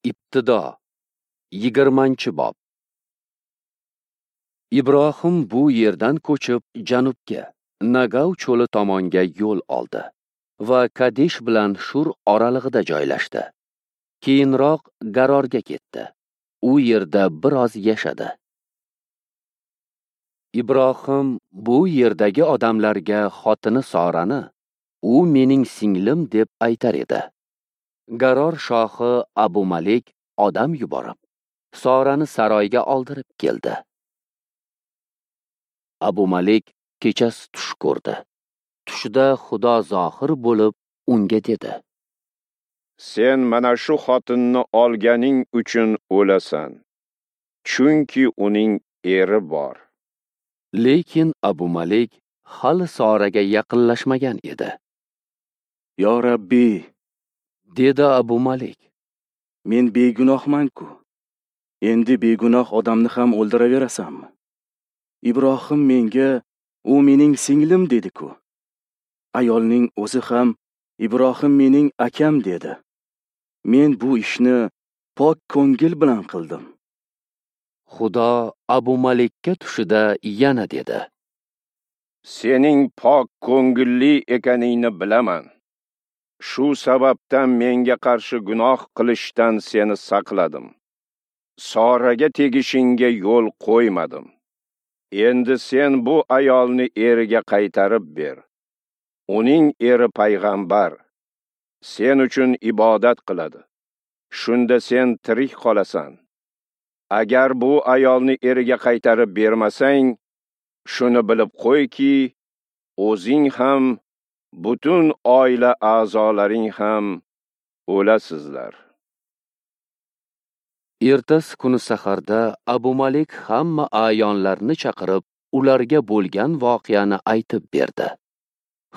Ibtido 20-bob. Ibrohim bu yerdan ko'chib janubga, Nagav cho'li tomonga yo'l oldi va Kadesh bilan Shur oralig'ida joylashdi. Keyinroq Garorga ketdi. U yerda biroz yashadi. Ibrohim bu yerdagi odamlarga xotini Sorani, "U mening singlim" deb aytar edi. Garor shohi Abu Malik odam yuborib, Sorani saroyga oldirib keldi. Abu Malik kechasi tush ko'rdi. Tushida Xudo zohir bo'lib unga dedi: "Sen mana shu xotinni olganing uchun o'lasan, chunki uning eri bor." Lekin Abu Malik hali Soraga yaqinlashmagan edi. "Yo Rabbi," dedi Abu Malik, "men begunohman-ku. Endi begunoh odamni ham o'ldiraverasanmi? Ibrohim menga, u mening singlim dedi-ku. Ayolning o'zi ham Ibrohim mening akam dedi. Men bu ishni pok ko'ngil bilan qildim." Xudo Abu Malikka tushida yana dedi: "Sening pok ko'ngilli ekaningni bilaman. Shu sababdan menga qarshi gunoh qilishdan seni saqladim. Soraga tegishingga yo'l qo'ymadim. Endi sen bu ayolni eriga qaytarib ber. Uning eri payg'ambar. Sen uchun ibodat qiladi. Shunda sen tirik qolasan. Agar bu ayolni eriga qaytarib bermasang, shuni bilib qo'yki, o'zing ham, butun oila a'zolaring ham o'lasizlar." Ertasi kuni saharda Abu Malik hamma a'yonlarni chaqirib, ularga bo'lgan voqeani aytib berdi.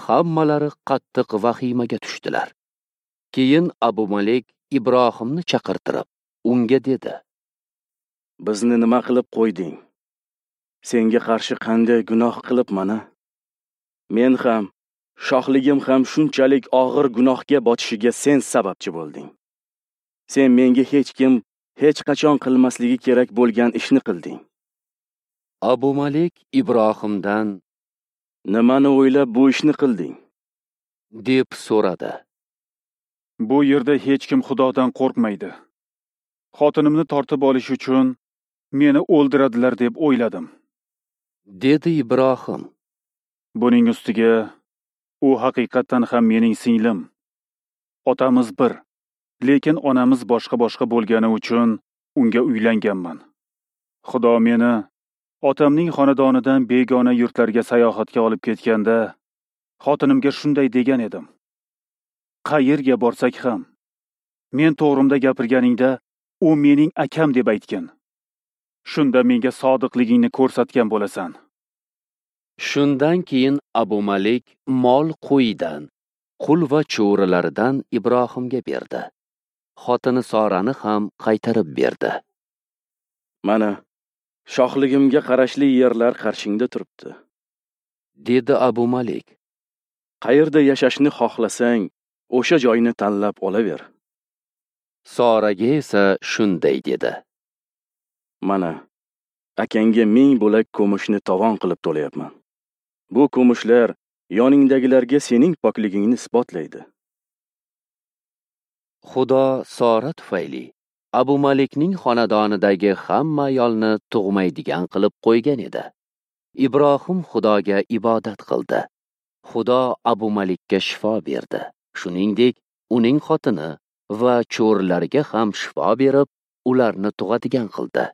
Hammalari qattiq vahimaga tushdilar. Keyin Abu Malik Ibrohimni chaqirtirib, unga dedi: "Bizni nima qilib qo'yding? Senga qarshi qanday gunoh qilibman-a? Men ham, shohligim ham shunchalik og'ir gunohga botishiga sen sababchi bo'lding. Sen menga hech kim hech qachon qilmasligi kerak bo'lgan ishni qilding." Abu Malik Ibrohimdan: "Nimani o'ylab bu ishni qilding?" deb so'radi. "Bu yerda hech kim Xudodan qo'rqmaydi. Xotinimni tortib olish uchun meni o'ldiradilar deb o'yladim," dedi Ibrohim. "Buning ustiga u haqiqatan ham mening singlim. Otamiz bir, lekin onamiz boshqa-boshqa bo'lgani uchun unga uylanganman. Xudo meni otamning xonadonidan begona yurtlarga sayohatga olib ketganda, xotinimga shunday degan edim: Qayerga borsak ham, men to'g'rimda gapirganingda u mening akam deb aytgin. Shunda menga sodiqligingni ko'rsatgan bo'lasan." Shundan keyin Abu Malik mol qo'yidan, qul va cho'rilaridan Ibrohimga berdi. Xotini Sorani ham qaytarib berdi. "Mana, shohligimga qarashli yerlar qarshingda turibdi," dedi Abu Malik. "Qayerda yashashni xohlasang, o'sha joyni tanlab olaver." Soraga esa shunday dedi: "Mana, akangga 1000 bo'lak kumushni tovon qilib to'layapman. Bu kumushlar yoningdagilarga sening pokligingni isbotlaydi." Xudo Sora tufayli Abu Malikning xonadonidagi hamma ayolni tug'maydigan qilib qo'ygan edi. Ibrohim Xudoga ibodat qildi. Xudo Abu Malikka shifo berdi. Shuningdek, uning xotini va cho'rilariga ham shifo berib, ularni tug'adigan qildi.